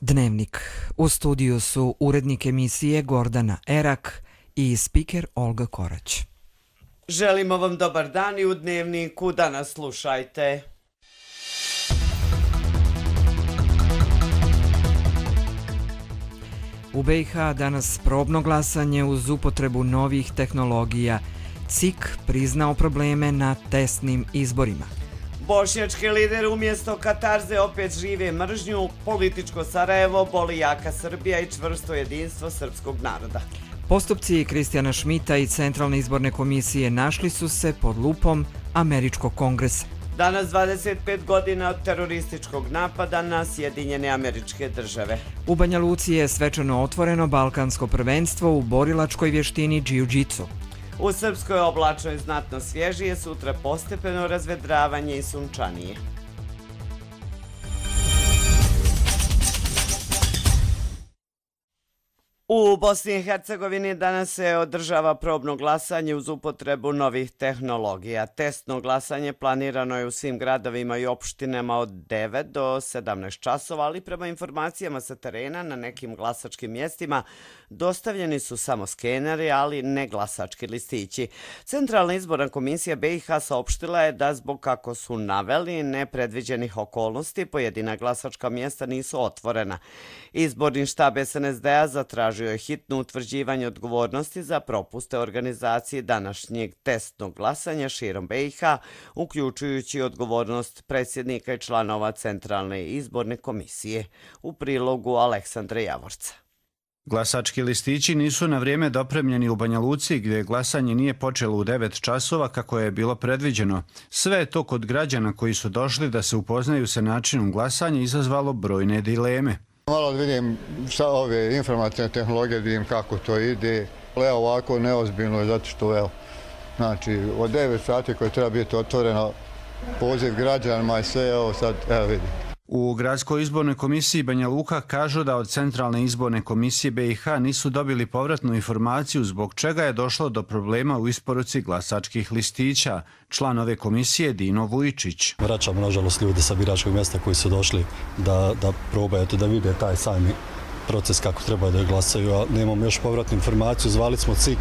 Dnevnik. U studiju su urednik emisije Gordana Erak i spiker Olga Korać. Želimo vam dobar dan i u Dnevniku da nas slušajte. U BiH danas probno glasanje uz upotrebu novih tehnologija. CIK priznao probleme na testnim izborima. Bošnjački lider umjesto katarze opet žive mržnju, političko Sarajevo, boli jaka Srbija i čvrsto jedinstvo srpskog naroda. Postupci Kristijana Šmita i Centralne izborne komisije našli su se pod lupom Američkog kongresa. Danas 25 godina od terorističkog napada na Sjedinjene Američke Države. U Banja Luci je svečano otvoreno balkansko prvenstvo u borilačkoj vještini džiu-džitsu. U Srpskoj oblačno je znatno svježije, sutra postepeno razvedravanje i sunčanije. U Bosni i Hercegovini danas se održava probno glasanje uz upotrebu novih tehnologija. Testno glasanje planirano je u svim gradovima i opštinama od 9 do 17 časova, ali prema informacijama sa terena na nekim glasačkim mjestima dostavljeni su samo skeneri, ali ne glasački listići. Centralna izborna komisija BiH saopštila je da zbog, kako su naveli, nepredviđenih okolnosti pojedina glasačka mjesta nisu otvorena. Izborni štab SNSD-a zatražio je hitno utvrđivanje odgovornosti za propuste organizacije današnjeg testnog glasanja širom BiH, uključujući odgovornost predsjednika i članova Centralne izborne komisije. U prilogu Aleksandra Javorca. Glasački listići nisu na vrijeme dopremljeni u Banja Luci, gdje glasanje nije počelo u 9 časova kako je bilo predviđeno. Sve je to kod građana koji su došli da se upoznaju sa načinom glasanja izazvalo brojne dileme. Malo vidim sa ove informacijne tehnologije, vidim kako to ide. Evo ovako neozbiljno je zato što znači od 9 sati koje treba biti otvoreno, poziv građanima i sve, evo sad, evo vidim. U Gradskoj izbornoj komisiji Banja Luka kažu da od Centralne izborne komisije BiH nisu dobili povratnu informaciju zbog čega je došlo do problema u isporuci glasačkih listića. Član ove komisije Dino Vujčić. Vraćamo nažalost ljude sa biračkog mjesta koji su došli da probaju da vide taj sami proces kako treba da glasaju, a nemamo još povratnu informaciju. Zvali smo CIK,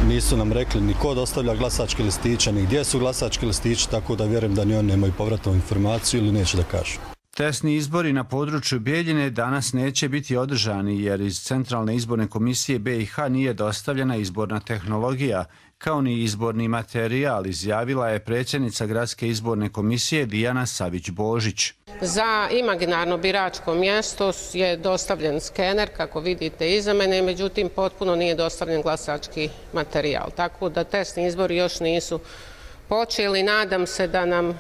nisu nam rekli ni ko dostavlja glasačke listiće, ni gdje su glasački listići, tako da vjerujem da ni oni nemaju povratnu informaciju ili neće da kažu. Testni izbori na području Bijeljine danas neće biti održani jer iz Centralne izborne komisije BiH nije dostavljena izborna tehnologija, kao ni izborni materijal, izjavila je predsjednica Gradske izborne komisije Dijana Savić-Božić. Za imaginarno biračko mjesto je dostavljen skener, kako vidite iza mene, međutim potpuno nije dostavljen glasački materijal. Tako da testni izbori još nisu počeli. Nadam se da nam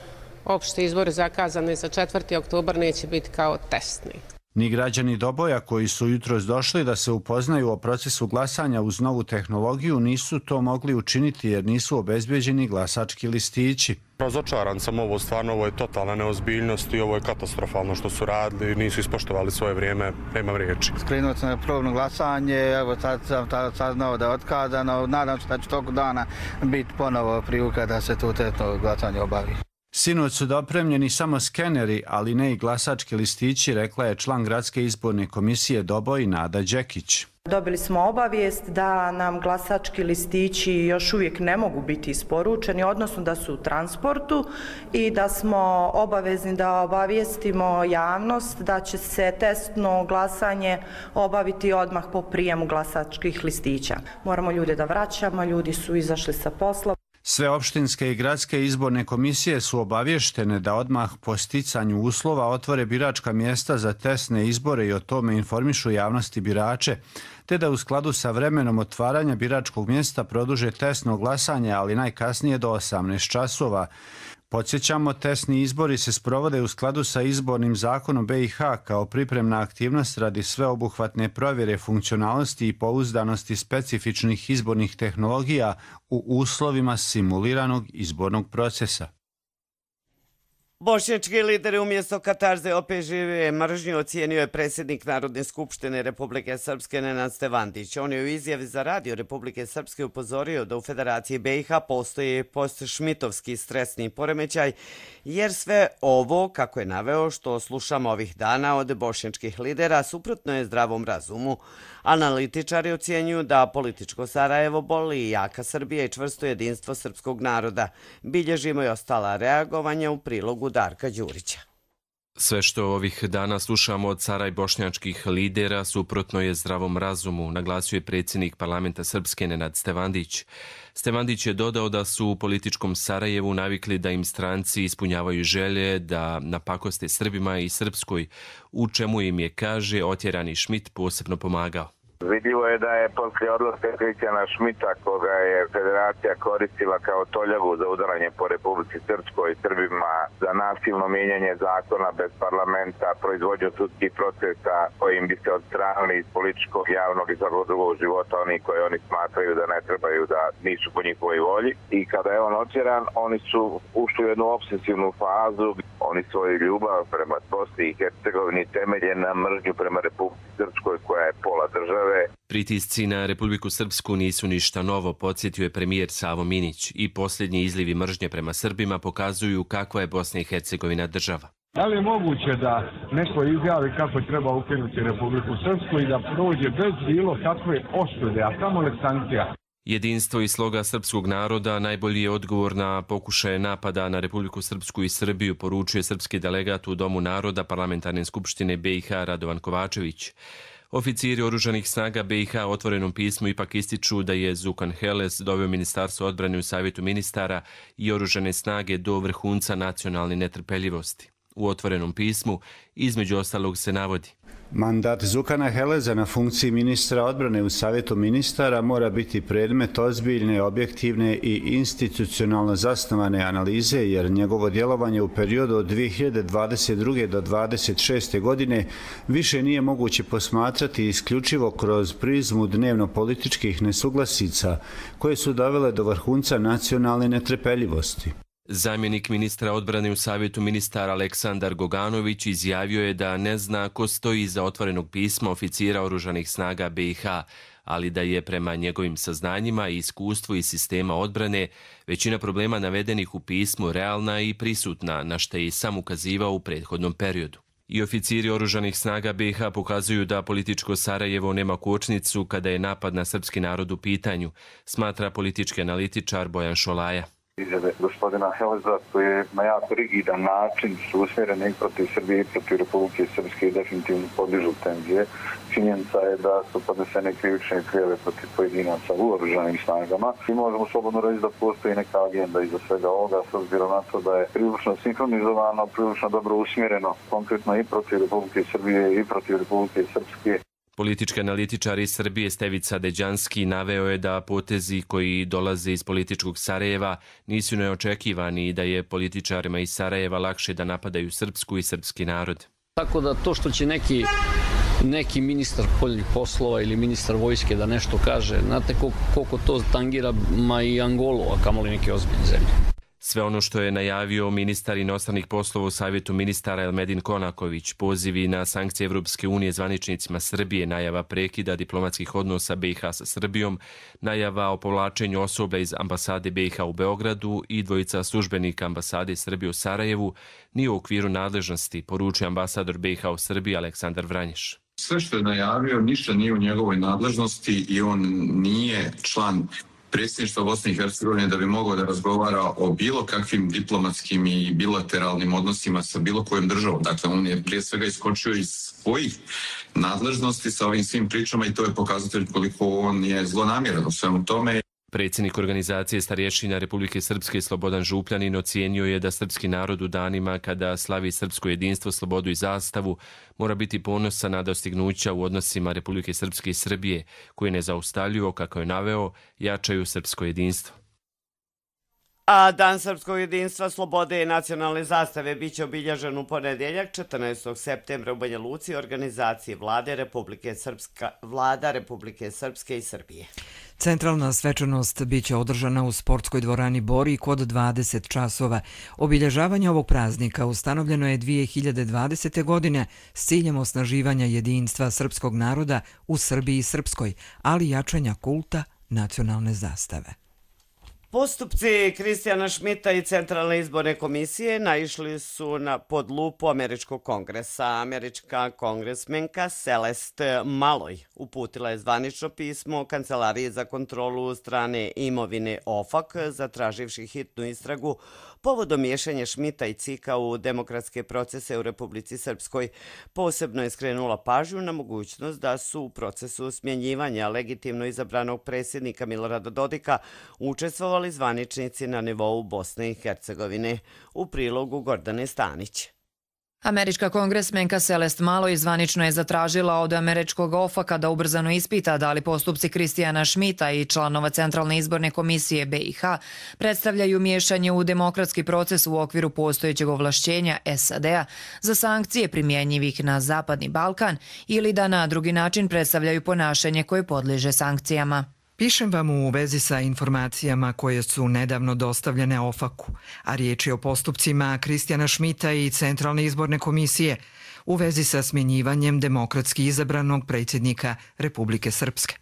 opšti izbori zakazani za 4. oktobar neće biti kao testni. Ni građani Doboja koji su jutros došli da se upoznaju o procesu glasanja uz novu tehnologiju nisu to mogli učiniti jer nisu obezbeđeni glasački listići. Razočaran sam, ovo je totalna neozbiljnost i ovo je katastrofalno što su radili, nisu ispoštovali svoje vrijeme, nemam riječi. Skrenuo sam na probno glasanje, evo sad sam saznao da je otkazano, nadam se da će tog dana biti ponovo prilika da se to testno glasanje obavi. Sinoć su dopremljeni samo skeneri, ali ne i glasački listići, rekla je član Gradske izborne komisije Doboj Nada Đekić. Dobili smo obavijest da nam glasački listići još uvijek ne mogu biti isporučeni, odnosno da su u transportu i da smo obavezni da obavijestimo javnost da će se testno glasanje obaviti odmah po prijemu glasačkih listića. Moramo ljude da vraćamo, ljudi su izašli sa posla. Sve opštinske i gradske izborne komisije su obavještene da odmah po sticanju uslova otvore biračka mjesta za testne izbore i o tome informišu javnosti birače, te da u skladu sa vremenom otvaranja biračkog mjesta produže testno glasanje, ali najkasnije do 18 časova. Podsjećamo, testni izbori se sprovode u skladu sa izbornim zakonom BiH kao pripremna aktivnost radi sveobuhvatne provjere funkcionalnosti i pouzdanosti specifičnih izbornih tehnologija u uslovima simuliranog izbornog procesa. Bošnjački lideri umjesto katarze opet žive mržnju, ocijenio je predsjednik Narodne skupštine Republike Srpske Nenad Stevandić. On je u izjavi za radio Republike Srpske upozorio da u Federaciji BiH postoji postšmitovski stresni poremećaj, jer sve ovo, kako je naveo, što slušamo ovih dana od bošnjačkih lidera, suprotno je zdravom razumu. Analitičari ocjenjuju da političko Sarajevo boli jaka Srbija i čvrsto jedinstvo srpskog naroda. Bilježimo i ostala reagovanja u prilogu Darka Đurića. Sve što ovih dana slušamo od cara i bošnjačkih lidera suprotno je zdravom razumu, naglasio je predsjednik parlamenta Srpske Nenad Stevandić. Stevandić je dodao da su u političkom Sarajevu navikli da im stranci ispunjavaju želje da napakoste Srbima i Srpskoj, u čemu im je, kaže, otjerani Šmit posebno pomagao. Vidljivo je da je poslije odlaska Kristijana Šmita, koga je federacija koristila kao toljagu za udaranje po Republici Srpskoj i Srbima, za nasilno mijenjanje zakona bez parlamenta, proizvođenje sudskih procesa kojim bi se odstranili iz političkog, javnog i svakog drugog života oni koji oni smatraju da ne trebaju, da nisu po njihovoj volji. I kada je on otjeran, oni su ušli u jednu obsesivnu fazu. Oni svoju ljubav prema Bosni i Hercegovini temelje na mržnju prema Republici Srpskoj koja je pola države. Pritisci na Republiku Srpsku nisu ništa novo, podsjetio je premijer Savo Minić, i posljednji izlivi mržnje prema Srbima pokazuju kakva je Bosna i Hercegovina država. Da li je moguće da neko izjavi kako treba ukinuti Republiku Srpsku i da prođe bez bilo kakve osude, a kamoli sankcija? Jedinstvo i sloga srpskog naroda najbolji je odgovor na pokušaje napada na Republiku Srpsku i Srbiju, poručuje srpski delegat u Domu naroda Parlamentarne skupštine BiH Radovan Kovačević. Oficiri oružanih snaga BiH u otvorenom pismu ipak ističu da je Zukan Heles doveo Ministarstvo odbrane u Savjetu ministara i oružane snage do vrhunca nacionalne netrpeljivosti. U otvorenom pismu između ostalog se navodi: mandat Zukana Heleza na funkciji ministra odbrane u Savjetu ministara mora biti predmet ozbiljne, objektivne i institucionalno zasnovane analize, jer njegovo djelovanje u periodu od 2022. do 2026. godine više nije moguće posmatrati isključivo kroz prizmu dnevno-političkih nesuglasica koje su dovele do vrhunca nacionalne netrpeljivosti. Zamjenik ministra odbrane u Savjetu ministara Aleksandar Goganović izjavio je da ne zna ko stoji iza otvorenog pisma oficira oružanih snaga BiH, ali da je prema njegovim saznanjima i iskustvu iz sistema odbrane većina problema navedenih u pismu realna i prisutna, na što je i sam ukazivao u prethodnom periodu. I oficiri oružanih snaga BiH pokazuju da političko Sarajevo nema kočnicu kada je napad na srpski narod u pitanju, smatra politički analitičar Bojan Šolaja. Izjave gospodina Heleza koje na jako rigidan način su usmjerene i protiv Srbije i protiv Republike Srpske i definitivno podižu tenzije. Činjenica je da su podnesene krivične prijave protiv pojedinaca u oružanim snagama i možemo slobodno reći da postoji neka agenda iza svega ovoga, s obzirom na to da je prilično sinhronizovano, prilično dobro usmjereno, konkretno i protiv Republike Srbije i protiv Republike Srpske. Politički analitičar iz Srbije Stevica Deđanski naveo je da potezi koji dolaze iz političkog Sarajeva nisu neočekivani i da je političarima iz Sarajeva lakše da napadaju Srpsku i srpski narod. Tako da to što će neki ministar spoljnih poslova ili ministar vojske da nešto kaže, znate koliko to tangira ma i Angolu, a kamoli neke ozbiljne zemlje. Sve ono što je najavio ministar inostranih poslova u Savjetu ministara Elmedin Konaković, pozivi na sankcije Evropske unije zvaničnicima Srbije, najava prekida diplomatskih odnosa BiH sa Srbijom, najava o povlačenju osoblja iz ambasade BiH u Beogradu i dvojica službenika ambasade Srbije u Sarajevu nije u okviru nadležnosti, poručuje ambasador BiH u Srbiji Aleksandar Vranješ. Sve što je najavio ništa nije u njegovoj nadležnosti i on nije član predsjedništva Bosne i Hercegovine da bi mogao da razgovara o bilo kakvim diplomatskim i bilateralnim odnosima sa bilo kojom državom. Dakle, on je prije svega iskočio iz svojih nadležnosti sa ovim svim pričama i to je pokazatelj koliko on je zlonamjeran u svemu tome. Predsjednik organizacije starješina Republike Srpske Slobodan Župljanin ocijenio je da srpski narod u danima kada slavi srpsko jedinstvo, slobodu i zastavu mora biti ponosan na dostignuća u odnosima Republike Srpske i Srbije, koje nezaustavljivo, kako je naveo, jačaju srpsko jedinstvo. A Dan srpskog jedinstva, slobode i nacionalne zastave biće obilježen u ponedjeljak 14. septembra u Banja Luci organizaciji Vlada Republike Srpske i Srbije. Centralna svečanost biće održana u sportskoj dvorani Borik od 20 časova. Obilježavanje ovog praznika ustanovljeno je 2020. godine s ciljem osnaživanja jedinstva srpskog naroda u Srbiji i Srpskoj, ali i jačanja kulta nacionalne zastave. Postupci Kristijana Šmita i Centralne izborne komisije naišli su pod lupu Američkog kongresa. Američka kongresmenka Celeste Maloj uputila je zvanično pismo Kancelariji za kontrolu strane imovine OFAC, zatraživši hitnu istragu povodom miješanja Šmita i Cika u demokratske procese u Republici Srpskoj. Posebno je skrenula pažnju na mogućnost da su u procesu smjenjivanja legitimno izabranog predsjednika Milorada Dodika učestvovali zvaničnici na nivou Bosne i Hercegovine. U prilogu Gordane Stanić. Američka kongresmenka Celeste Maloj zvanično je zatražila od američkog OFAC-a da ubrzano ispita da li postupci Kristijana Šmita i članova Centralne izborne komisije BiH predstavljaju miješanje u demokratski proces u okviru postojećeg ovlašćenja SAD-a za sankcije primjenjivih na Zapadni Balkan ili da na drugi način predstavljaju ponašanje koje podliježe sankcijama. Pišem vam u vezi sa informacijama koje su nedavno dostavljene OFAC-u, a riječ je o postupcima Kristijana Šmita i Centralne izborne komisije u vezi sa smjenjivanjem demokratski izabranog predsjednika Republike Srpske.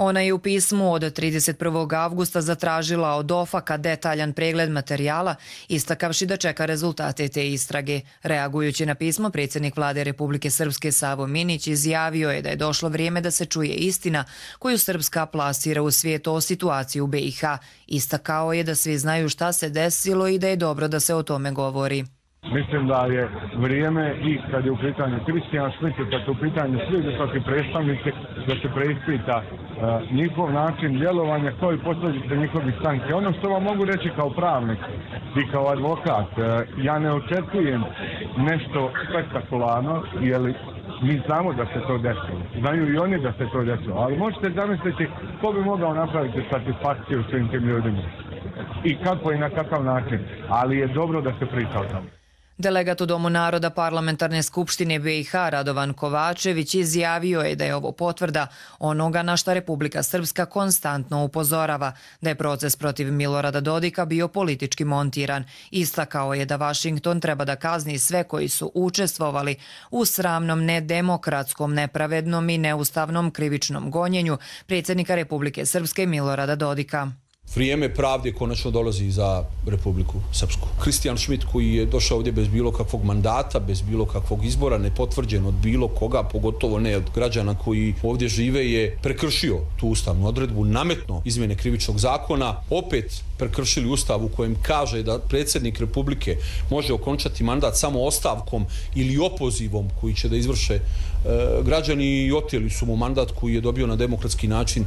Ona je u pismu od 31. avgusta zatražila od OFAC-a detaljan pregled materijala, istakavši da čeka rezultate te istrage. Reagujući na pismo, predsjednik Vlade Republike Srpske Savo Minić izjavio je da je došlo vrijeme da se čuje istina koju Srpska plasira u svijet o situaciji u BiH. Istakao je da svi znaju šta se desilo i da je dobro da se o tome govori. Mislim da je vrijeme i kad je u pitanju Kristijan Šmit i kad je u pitanju svi visoki predstavnici da se preispita njihov način djelovanja kao i posljedice njihovih sankcija. Ono što vam mogu reći kao pravnik i kao advokat, ja ne očekujem nešto spektakularno, jer mi znamo da se to desilo. Znaju i oni da se to desilo, ali možete zamisliti ko bi mogao napraviti satisfakciju svim tim ljudima i kako i na kakav način, ali je dobro da se priča o tome. Delegat u Domu naroda Parlamentarne skupštine BiH Radovan Kovačević izjavio je da je ovo potvrda onoga na šta Republika Srpska konstantno upozorava, da je proces protiv Milorada Dodika bio politički montiran. Istakao je da Vašington treba da kazni sve koji su učestvovali u sramnom, nedemokratskom, nepravednom i neustavnom krivičnom gonjenju predsjednika Republike Srpske Milorada Dodika. Vrijeme pravde konačno dolazi za Republiku Srpsku. Kristijan Šmit koji je došao ovdje bez bilo kakvog mandata, bez bilo kakvog izbora, nepotvrđen od bilo koga, pogotovo ne od građana koji ovdje žive, je prekršio tu ustavnu odredbu, nametno izmjene krivičnog zakona, opet prekršili ustav u kojem kaže da predsjednik Republike može okončati mandat samo ostavkom ili opozivom koji će da izvrše građani i oteli su mu mandat koji je dobio na demokratski način.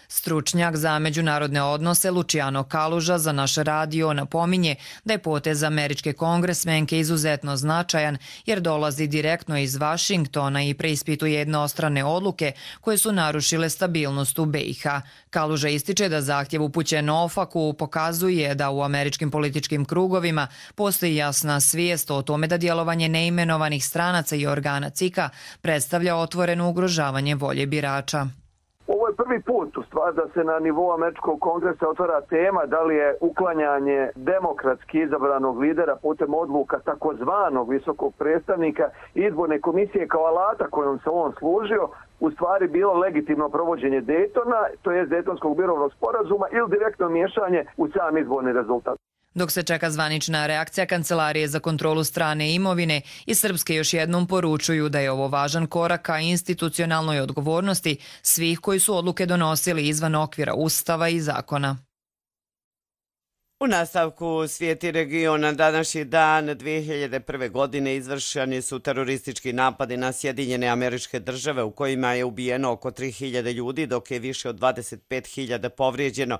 Stručnjak za međunarodne odnose Luciano Kaluža za naš radio napominje da je potez američke kongresmenke izuzetno značajan jer dolazi direktno iz Vašingtona i preispituje jednostrane odluke koje su narušile stabilnost u BiH. Kaluža ističe da zahtjev upućen OFAC-u pokazuje da u američkim političkim krugovima postoji jasna svijest o tome da djelovanje neimenovanih stranaca i organa CIK-a predstavlja otvoreno ugrožavanje volje birača. Ovo je prvi put u stvari da se na nivou američkog kongresa otvara tema da li je uklanjanje demokratski izabranog lidera putem odluka takozvanog visokog predstavnika izborne komisije kao alata kojom se on služio u stvari bilo legitimno provođenje Daytona, to je Daytonskog mirovnog sporazuma ili direktno miješanje u sam izborni rezultat. Dok se čeka zvanična reakcija Kancelarije za kontrolu strane imovine, iz Srpske još jednom poručuju da je ovo važan korak ka institucionalnoj odgovornosti svih koji su odluke donosili izvan okvira Ustava i zakona. U nastavku svijeti regiona današnji dan 2001. godine izvršeni su teroristički napadi na Sjedinjene Američke Države u kojima je ubijeno oko 3000 ljudi dok je više od 25.000 povrijeđeno.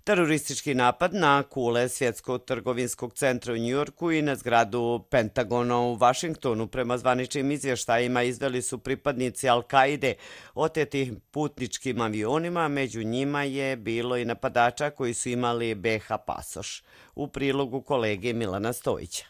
Teroristički napad na kule Svjetskog trgovinskog centra u Njujorku i na zgradu Pentagona u Vašingtonu prema zvaničnim izvještajima izveli su pripadnici Al-Kaide otetih putničkim avionima, među njima je bilo i napadača koji su imali BiH pasoš. U prilogu kolege Milana Stojića.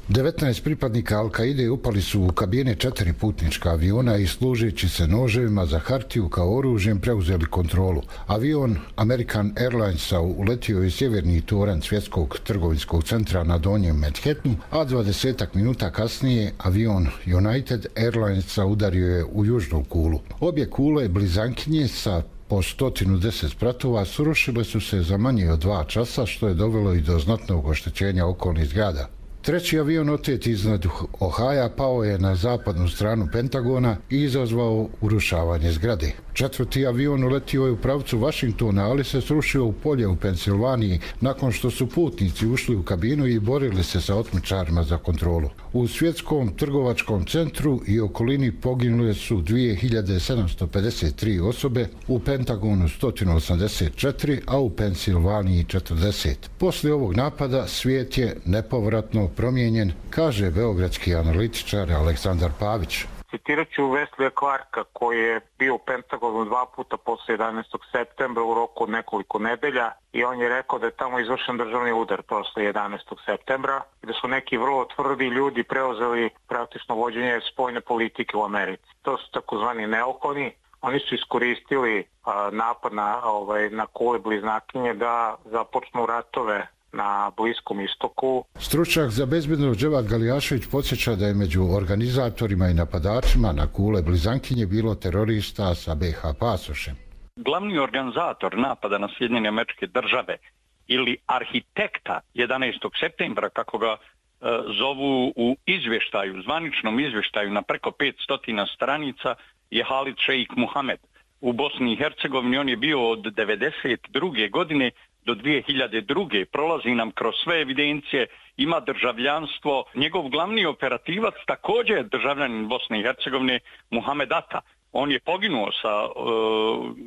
19 pripadnika Al-Kaide upali su u kabine 4 putnička aviona i služeći se noževima za hartiju kao oružjem preuzeli kontrolu. Avion American Airlinesa uletio je sjeverni toranj Svjetskog trgovinskog centra na donjem Manhattanu, a 20 minuta kasnije avion United Airlinesa udario je u južnu kulu. Obje kule blizankinje sa po 110 spratova srušile su se za manje od 2 časa, što je dovelo i do znatnog oštećenja okolnih zgrada. Treći avion otet iznad Ohaja pao je na zapadnu stranu Pentagona i izazvao urušavanje zgrade. Četvrti avion uletio je u pravcu Vašingtona, ali se srušio u polje u Pensilvaniji nakon što su putnici ušli u kabinu i borili se sa otmičarima za kontrolu. U Svjetskom trgovačkom centru i okolini poginule su 2753 osobe, u Pentagonu 184, a u Pensilvaniji 40. Poslije ovog napada svijet je nepovratno promijenjen, kaže beogradski analitičar Aleksandar Pavić. Citirat ću Weslija Clarka koji je bio u Pentagonu 2 puta posle 11. septembra u roku od nekoliko nedelja i on je rekao da je tamo izvršen državni udar posle 11. septembra i da su neki vrlo tvrdi ljudi preuzeli praktično vođenje spoljne politike u Americi. To su takozvani neokoni. Oni su iskoristili napad na kule bliznakinje da započnu ratove na Bliskom istoku. Stručnjak za bezbednost Dževad Galijašević podsjeća da je među organizatorima i napadačima na kule blizankinje bilo terorista sa BiH pasošem. Glavni organizator napada na Sjedinjene Američke Države ili arhitekta 11. septembra, kako ga zovu u izvještaju, zvaničnom izvještaju na preko 500 stranica, je Halid Šeik Muhamed. U Bosni i Hercegovini on je bio od 1992. godine do 2002. prolazi nam kroz sve evidencije, ima državljanstvo. Njegov glavni operativac također je državljanin Bosne i Hercegovine, Muhamed Ata. On je poginuo sa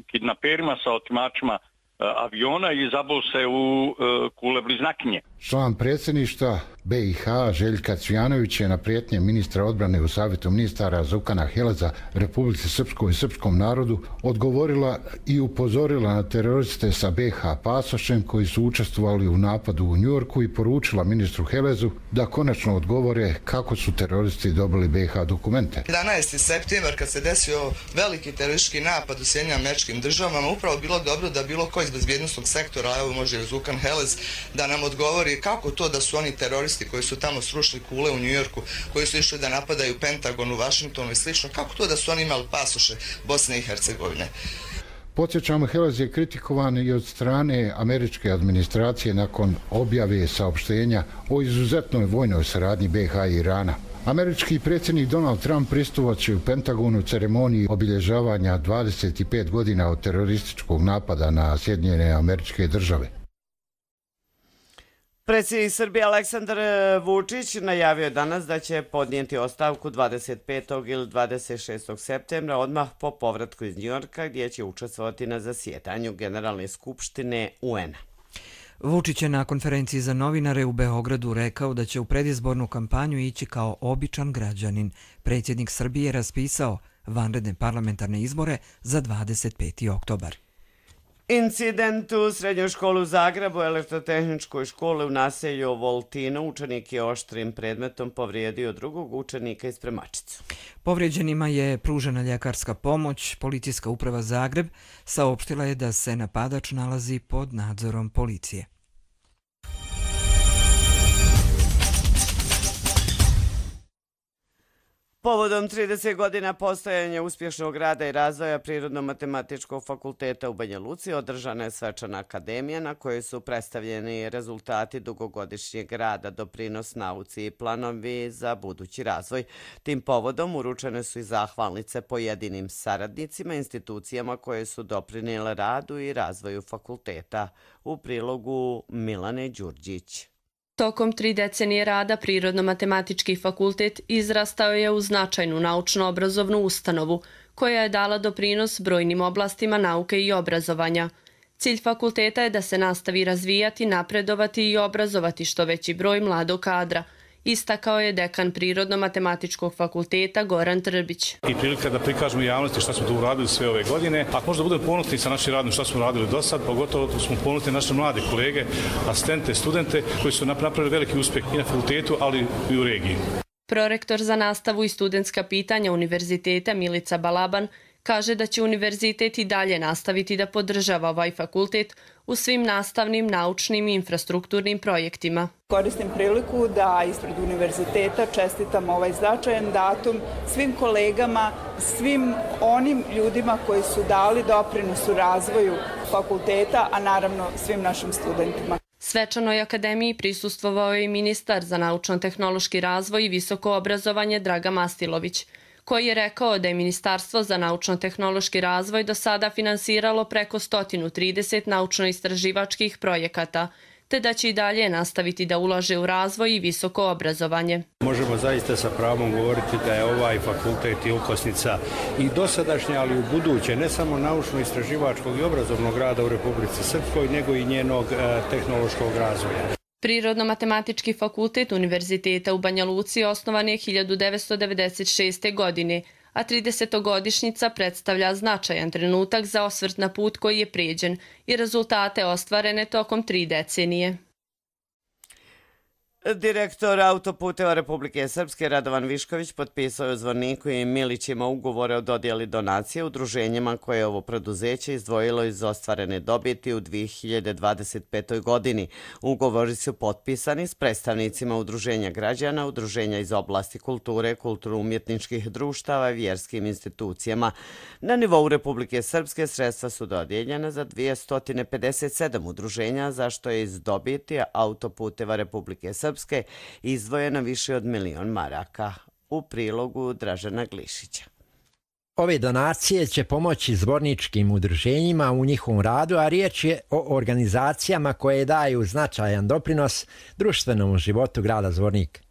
kidnaperima, sa otimačima aviona i zabol se u kule bliznakinje. Član predsjedništva BiH Željka Cvijanović je na prijetnje ministra odbrane u Savjetu ministara Zukana Heleza Republici Srpskoj i srpskom narodu odgovorila i upozorila na teroriste sa BiH pasošem koji su učestvovali u napadu u Njujorku i poručila ministru Helezu da konačno odgovore kako su teroristi dobili BiH dokumente. 11. septembar kad se desio veliki teroristički napad u Sjedinjenim Američkim Državama, upravo bilo dobro da bilo ko iz bezbjednosnog sektora, evo može Zukan Helez, da nam odgovori kako to da su oni teroristi koji su tamo srušili kule u Njujorku, koji su išli da napadaju Pentagon u Vašingtonu i slično, kako to da su oni imali pasoše Bosne i Hercegovine. Podsjećamo, Helez je kritikovan i od strane američke administracije nakon objave saopštenja o izuzetnoj vojnoj saradnji BiH i Irana. Američki predsjednik Donald Trump pristupaće u Pentagonu ceremoniji obilježavanja 25 godina od terorističkog napada na Sjedinjene Američke Države. Predsjednik Srbije Aleksandar Vučić najavio je danas da će podnijeti ostavku 25. ili 26. septembra odmah po povratku iz Njujorka gdje će učestvovati na zasjedanju Generalne skupštine UN-a. Vučić je na konferenciji za novinare u Beogradu rekao da će u predizbornu kampanju ići kao običan građanin. Predsjednik Srbije je raspisao vanredne parlamentarne izbore za 25. oktobar. Incident u srednjoj školi u Zagrebu, elektrotehničkoj školi u naselju Voltino, učenik je oštrim predmetom povrijedio drugog učenika i spremačicu. Povrijeđenima je pružena ljekarska pomoć. Policijska uprava Zagreb saopštila je da se napadač nalazi pod nadzorom policije. Povodom 30 godina postojanja uspješnog rada i razvoja Prirodno-matematičkog fakulteta u Banja Luci održana je svečana akademija na kojoj su predstavljeni rezultati dugogodišnjeg rada, doprinos nauci i planovi za budući razvoj. Tim povodom uručene su i zahvalnice pojedinim saradnicima, institucijama koje su doprinijele radu i razvoju fakulteta. U prilogu Milane Đurđić. Tokom 3 decenije rada Prirodno-matematički fakultet izrastao je u značajnu naučno-obrazovnu ustanovu koja je dala doprinos brojnim oblastima nauke i obrazovanja. Cilj fakulteta je da se nastavi razvijati, napredovati i obrazovati što veći broj mladog kadra, istakao je dekan Prirodno-matematičkog fakulteta Goran Trbić. I prilika da prikažemo javnosti šta smo tu uradili sve ove godine, a možda budemo ponosni sa našim radom šta smo radili do sad, pogotovo smo ponosni naše mlade kolege, asistente, studente koji su napravili veliki uspjeh i na fakultetu, ali i u regiji. Prorektor za nastavu i studentska pitanja Univerziteta Milica Balaban kaže da će univerzitet i dalje nastaviti da podržava ovaj fakultet u svim nastavnim, naučnim i infrastrukturnim projektima. Koristim priliku da ispred univerziteta čestitam ovaj značajan datum svim kolegama, svim onim ljudima koji su dali doprinos u razvoju fakulteta, a naravno svim našim studentima. Svečanoj akademiji prisustvovao je i ministar za naučno-tehnološki razvoj i visoko obrazovanje Dragan Mastilović, koji je rekao da je Ministarstvo za naučno-tehnološki razvoj do sada finansiralo preko 130 naučno-istraživačkih projekata, te da će i dalje nastaviti da ulaže u razvoj i visoko obrazovanje. Možemo zaista sa pravom govoriti da je ovaj fakultet i okosnica i dosadašnje, ali i u buduće, ne samo naučno-istraživačkog i obrazovnog rada u Republici Srpskoj, nego i njenog tehnološkog razvoja. Prirodno-matematički fakultet Univerziteta u Banja Luci osnovan je 1996. godine, a 30-godišnjica predstavlja značajan trenutak za osvrt na put koji je prijeđen i rezultate ostvarene tokom 3 decenije. Direktor Autoputeva Republike Srpske Radovan Višković potpisao je u Zvorniku i Milićima ugovore o dodjeli donacije udruženjima koje je ovo preduzeće izdvojilo iz ostvarene dobiti u 2025. godini. Ugovori su potpisani s predstavnicima udruženja građana, udruženja iz oblasti kulture, kulturno-umjetničkih društava i vjerskim institucijama. Na nivou Republike Srpske sredstva su dodijeljena za 257 udruženja, za što je iz dobiti Autoputeva Republike Srpske izdvojeno više od 1 milion maraka. U prilogu Dražena Glišića. Ove donacije će pomoći zvorničkim udruženjima u njihovom radu, a riječ je o organizacijama koje daju značajan doprinos društvenom životu grada Zvornik.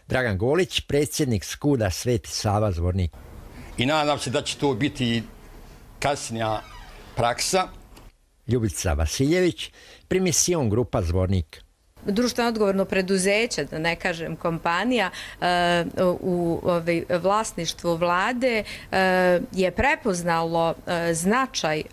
Dragan Golić, predsjednik Skuda Sveti Sava Zvornik. I nadam se da će to biti kasnija praksa. Ljubica Vasiljević, Primision Grupa Zvornik. Društveno odgovorno preduzeće, da ne kažem kompanija, u vlasništvu vlade je prepoznalo značaj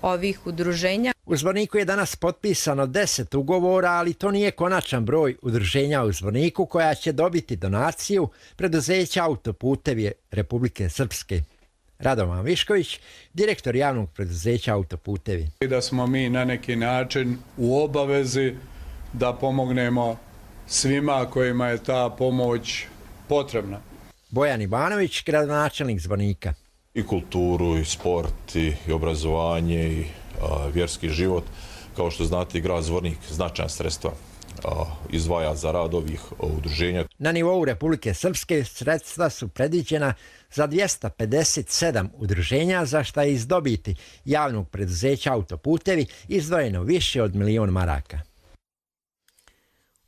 ovih udruženja. U Zvorniku je danas potpisano 10 ugovora, ali to nije konačan broj udruženja u Zvorniku koja će dobiti donaciju preduzeća Autoputevi Republike Srpske. Radovan Višković, direktor javnog preduzeća Autoputevi. Da smo mi na neki način u obavezi da pomognemo svima kojima je ta pomoć potrebna. Bojan Ivanović, gradonačelnik Zvornika. I kulturu, i sport, i obrazovanje, i vjerski život. Kao što znate, i grad Zvornik značajna sredstva izdvaja za rad ovih udruženja. Na nivou Republike Srpske sredstva su predviđena za 257 udruženja, za što je iz dobiti javnog preduzeća Autoputevi izdvojeno više od 1 milion maraka.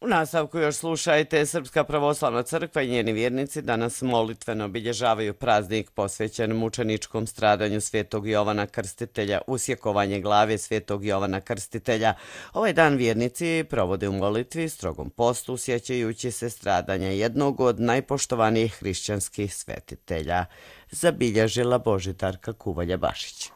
U nastavku još slušajte, Srpska pravoslavna crkva i njeni vjernici danas molitveno obilježavaju praznik posvećen mučeničkom stradanju Svetog Jovana Krstitelja, usjekovanje glave Svetog Jovana Krstitelja. Ovaj dan vjernici provode u molitvi, strogom postu, sjećajući se stradanja jednog od najpoštovanijih hrišćanskih svetitelja, zabilježila Božidarka Kuvalja-Bašić.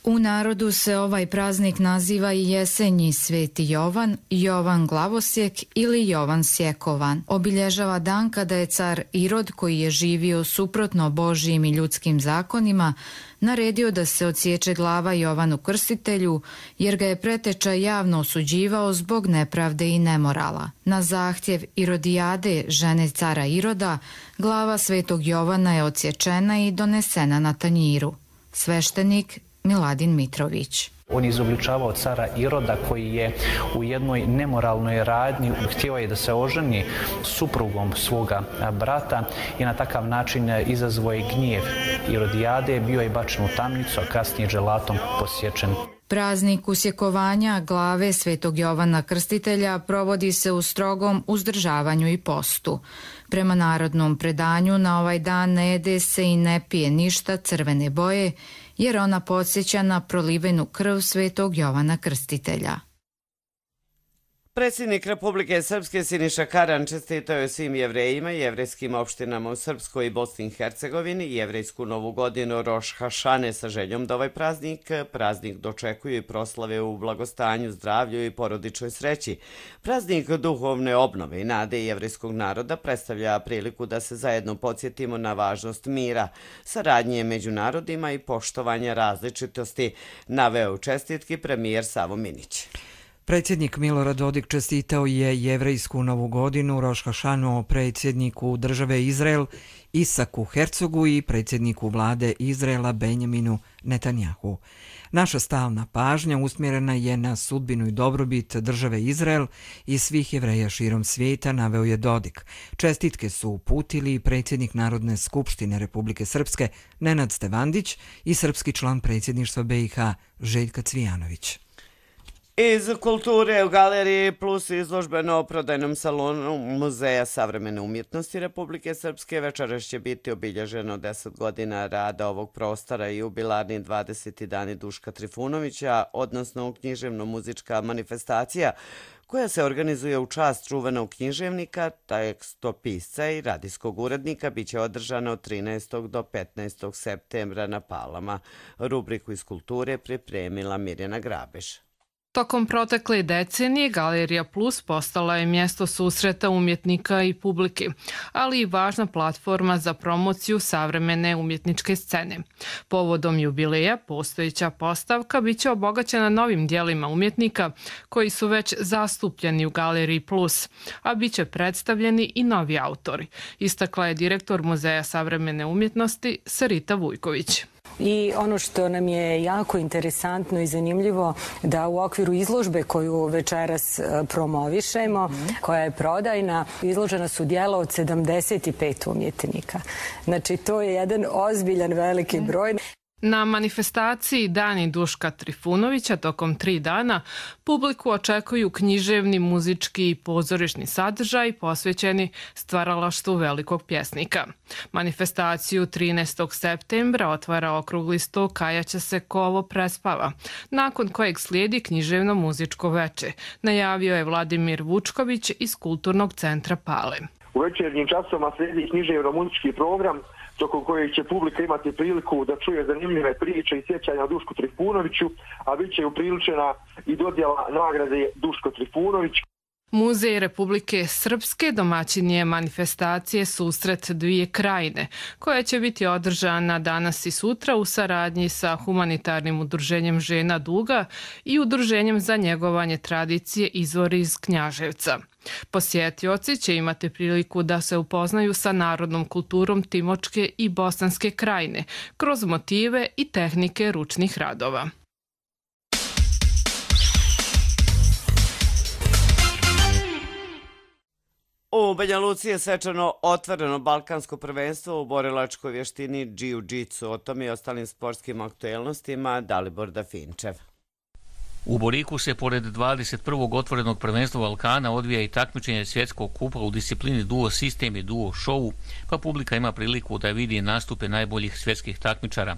U narodu se ovaj praznik naziva i jesenji Sveti Jovan, Jovan Glavosjek ili Jovan Sjekovan. Obilježava dan kada je car Irod, koji je živio suprotno Božjim i ljudskim zakonima, naredio da se odsječe glava Jovanu Krstitelju, jer ga je preteča javno osuđivao zbog nepravde i nemorala. Na zahtjev Irodijade, žene cara Iroda, glava Svetog Jovana je odsječena i donesena na tanjiru. Sveštenik Miladin Mitrović. On je izobličavao cara Iroda koji je u jednoj nemoralnoj radnji htio je da se oženi suprugom svoga brata i na takav način izazvao je gnjev Irodijade, bio je bačen u tamnicu, a kasnije dželatom posječen. Praznik usjekovanja glave Svetog Jovana Krstitelja provodi se u strogom uzdržavanju i postu. Prema narodnom predanju na ovaj dan ne jede se i ne pije ništa crvene boje, jer ona podsjeća na prolivenu krv Svetog Jovana Krstitelja. Predsjednik Republike Srpske Siniša Karan čestitao je svim jevrejima i jevrejskim opštinama u Srpskoj i Bosni i Hercegovini jevrejsku novu godinu Roš Hašane sa željom da ovaj praznik dočekuju i proslave u blagostanju, zdravlju i porodičnoj sreći. Praznik duhovne obnove i nade jevrejskog naroda predstavlja priliku da se zajedno podsjetimo na važnost mira, saradnje među narodima i poštovanja različitosti, naveo u čestitki premijer Savo Minić. Predsjednik Milorad Dodik čestitao je jevrejsku novu godinu Roš Hašanu predsjedniku države Izrael Isaku Hercogu i predsjedniku vlade Izraela Benjaminu Netanjahu. Naša stalna pažnja usmjerena je na sudbinu i dobrobit države Izrael i svih Jevreja širom svijeta, naveo je Dodik. Čestitke su uputili predsjednik Narodne skupštine Republike Srpske Nenad Stevandić i srpski član predsjedništva BiH Željka Cvijanović. Iz kulture u Galeriji Plus izložbeno-prodajnom salonu Muzeja savremene umjetnosti Republike Srpske večeras će biti obilježeno 10 godina rada ovog prostora i jubilarni 20. dani Duška Trifunovića, odnosno književno-muzička manifestacija koja se organizuje u čast čuvenog književnika, tekstopisca i radijskog urednika, bit će održana od 13. do 15. septembra na Palama. Rubriku iz kulture pripremila Mirjana Grabeš. Tokom protekle decenije Galerija Plus postala je mjesto susreta umjetnika i publike, ali i važna platforma za promociju savremene umjetničke scene. Povodom jubileja postojeća postavka bit će obogaćena novim dijelima umjetnika koji su već zastupljeni u Galeriji Plus, a bit će predstavljeni i novi autori, istakla je direktor Muzeja savremene umjetnosti Sarita Vujković. I ono što nam je jako interesantno i zanimljivo da u okviru izložbe koju večeras promovišemo, koja je prodajna, izložena su dijela od 75 umjetnika. Znači to je jedan ozbiljan veliki broj. Na manifestaciji Dani Duška Trifunovića tokom 3 dana publiku očekuju književni, muzički i pozorišni sadržaj posvećeni stvaralaštvu velikog pjesnika. Manifestaciju 13. septembra otvara okrugli sto Kajaća se ko ovo prespava, nakon kojeg slijedi književno-muzičko veče, najavio je Vladimir Vučković iz Kulturnog centra Pale. U večernjim časovima slijedi književno-muzički program tokom kojeg će publika imati priliku da čuje zanimljive priče i sjećanja o Dušku Trifunoviću, a bit će upriličena i dodjela nagrade Duško Trifunović. Muzej Republike Srpske domaćin je manifestacije Susret dvije krajine, koja će biti održana danas i sutra u saradnji sa humanitarnim udruženjem Žena Duga i udruženjem za njegovanje tradicije Izvori iz Knjaževca. Posjetioci će imati priliku da se upoznaju sa narodnom kulturom Timočke i Bosanske krajine kroz motive i tehnike ručnih radova. U Banja Luci je svečano otvoreno balkansko prvenstvo u borilačkoj vještini jiu-jitsu. O tom i ostalim sportskim aktuelnostima Dalibor Dafinčev. U Boriku se pored 21. otvorenog prvenstva Balkana odvija i takmičenje svjetskog kupa u disciplini duo sistem i duo show, pa publika ima priliku da vidi nastupe najboljih svjetskih takmičara.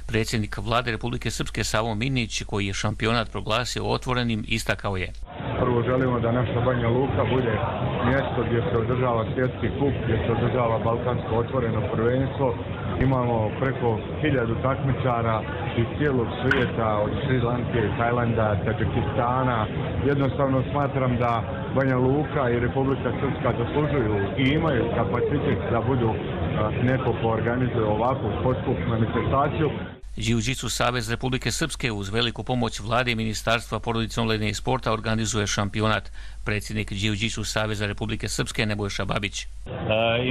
Predsjednik vlade Republike Srpske Savo Minić, koji je šampionat proglasio otvorenim, istakao je: Prvo želimo da naša Banja Luka bude mjesto gdje se održava svjetski kup, gdje se održava balkansko otvoreno prvenstvo. Imamo preko 1000 takmičara iz cijelog svijeta, od Sri Lanke, Tajlanda, Tadžikistana. Jednostavno smatram da Banja Luka i Republika Srpska zaslužuju i imaju kapacitet da budu neko ko organizuje ovakvu sportsku manifestaciju. Jiu-Jitsu Savez Republike Srpske uz veliku pomoć vlade i Ministarstva porodice, omladine i sporta organizuje šampionat. Predsjednik Jiu-Jitsu Saveza Republike Srpske Nebojša Babić.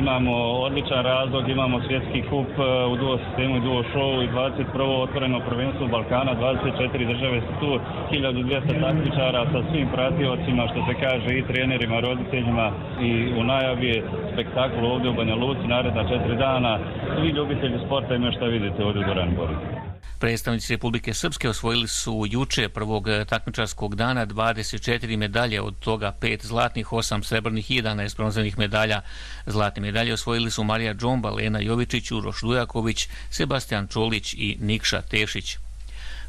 Imamo odličan razlog, imamo svjetski kup u duo sistemu i duo show i 21. otvoreno prvenstvo Balkana, 24 države su tu, 1200 takmičara sa svim pratiocima, što se kaže, i trenerima, roditeljima, i u najavi je spektakl ovdje u Banja Luci naredna 4 dana. Svi ljubitelji sporta imaju šta vidite ovdje u dvorani Boru. Predstavnici Republike Srpske osvojili su juče prvog takmičarskog dana 24 medalje, od toga 5 zlatnih, 8 srebrnih i 11 bronzanih medalja. Zlatne medalje osvojili su Marija Džomba, Lena Jovičić, Uroš Dujaković, Sebastian Čolić i Nikša Tešić.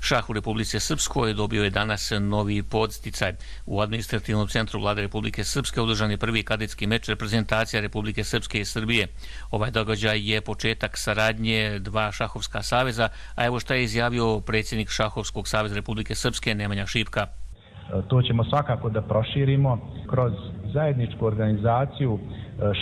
Šah u Republike Srpskoj dobio je danas novi podsticaj. U administrativnom centru Vlade Republike Srpske održan je prvi kadetski meč reprezentacija Republike Srpske i Srbije. Ovaj događaj je početak saradnje dva šahovska saveza, a evo šta je izjavio predsjednik Šahovskog saveza Republike Srpske Nemanja Šipka. To ćemo svakako da proširimo kroz zajedničku organizaciju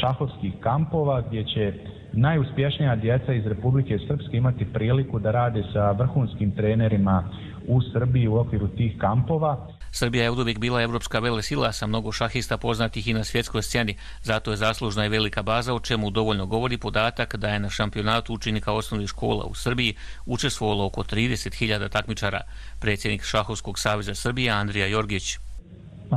šahovskih kampova gdje će najuspješnija djeca iz Republike Srpske imati priliku da rade sa vrhunskim trenerima u Srbiji u okviru tih kampova. Srbija je uvijek bila evropska velesila sa mnogo šahista poznatih i na svjetskoj sceni, zato je zaslužna i velika baza, o čemu dovoljno govori podatak da je na šampionatu učenika osnovnih škola u Srbiji učestvovalo oko 30.000 takmičara. Predsjednik Šahovskog saveza Srbije Andrija Jorgić.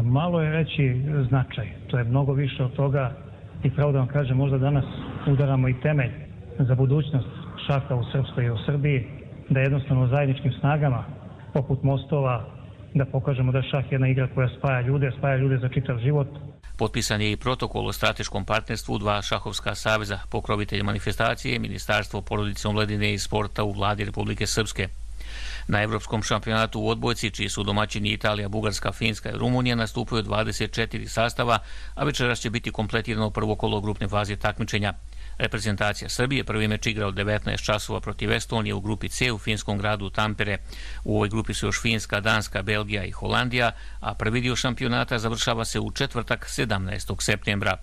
Malo je reći značaj, to je mnogo više od toga i pravo da vam kažem, možda danas udaramo i temelj za budućnost šaha u Srpskoj i u Srbiji, da jednostavno zajedničkim snagama poput mostova da pokažemo da je šah jedna igra koja spaja ljude za čitav život. Potpisan je i protokol o strateškom partnerstvu dva šahovska saveza, pokrovitelj manifestacije, Ministarstvo porodice, omladine i sporta u Vladi Republike Srpske. Na Evropskom šampionatu u odbojci, čiji su domaćini Italija, Bugarska, Finska i Rumunija, nastupaju 24 sastava, a večeras će biti kompletirano prvo kolo grupne faze takmičenja. Reprezentacija Srbije prvi meč igra od 19 časova protiv Estonije u grupi C u finskom gradu Tampere. U ovoj grupi su još Finska, Danska, Belgija i Holandija, a prvi dio šampionata završava se u četvrtak 17. septembra.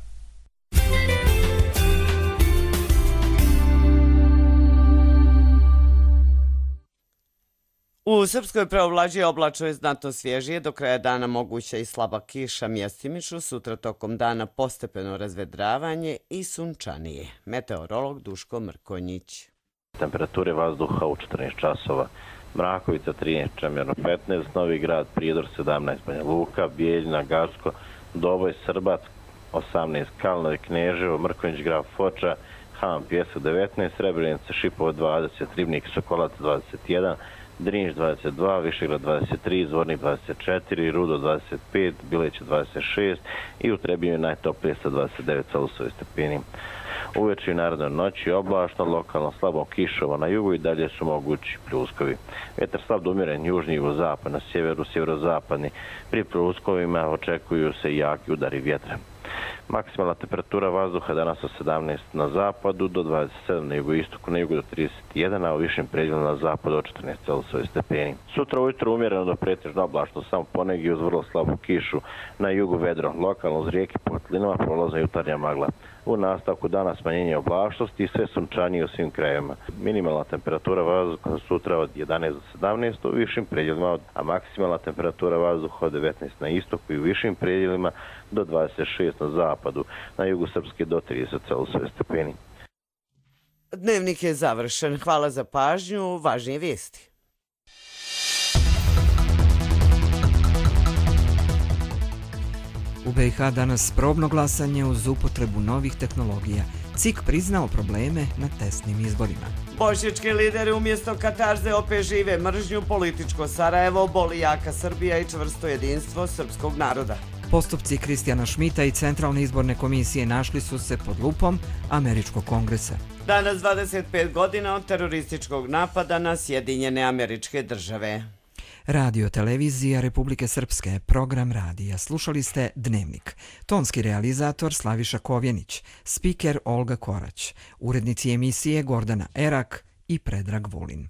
U Srpskoj preovlađuje oblačno je znatno svježije, do kraja dana moguća i slaba kiša mjestimično, sutra tokom dana postepeno razvedravanje i sunčanije. Meteorolog Duško Mrkonjić. Temperature vazduha u 14 časova. Mrakovica 13, Čemerno 15, Novi Grad, Prijedor 17, Banja Luka, Bijeljina, Garsko, Doboj, Srbac 18, Kalnovi, Kneževo, Mrkonjić, Graf Foča, Han, Pjesak 19, Srebrenica, Šipovo 20, Ribnik, Sokolac 21, Drinš 22, Višegrad 23, Zvornik 24, Rudo 25, Bileć 26 i u Trebinju najtoplije sa 29 celsiusovih stepeni. Uveče i narednoj noći oblačno, lokalno slabo kišovo na jugu i dalje su mogući pljuskovi. Vjetar slab do umjeren južni jugozapad, na sjeveru sjeverozapadni. Pri pljuskovima očekuju se jaki udari vjetra. Maksimalna temperatura vazduha danas od 17 na zapadu do 27 na jugoistoku, na jugu do 31, a u višim predjelima na zapadu od 14 celsiusovih stepeni. Sutra ujutro umjereno do pretežno oblačno, samo ponegdje uz vrlo slabu kišu, na jugu vedro, lokalno uz rijeke Potlinama prolazna jutarnja magla. U nastavku dana smanjenje oblačnosti i sve sunčanije u svim krajevima. Minimalna temperatura vazduha sutra od 11 do 17 u višim predjelima, a maksimalna temperatura vazduha od 19 na istoku i u višim predjelima do 26 na zapadu, na jugu Srpske do 30 celsiusovih stepeni. Dnevnik je završen. Hvala za pažnju. Važnije vijesti. U BiH danas probno glasanje uz upotrebu novih tehnologija. CIK priznao probleme na testnim izborima. Bošnjački lideri umjesto katarze opet žive mržnju, političko Sarajevo, boli jaka Srbija i čvrsto jedinstvo srpskog naroda. Postupci Kristijana Šmita i Centralne izborne komisije našli su se pod lupom Američkog kongresa. Danas 25 godina od terorističkog napada na Sjedinjene Američke Države. Radio televizija Republike Srpske, program radija. Slušali ste Dnevnik. Tonski realizator Slaviša Kovjenić, spiker Olga Korać, urednici emisije Gordana Erak i Predrag Vulin.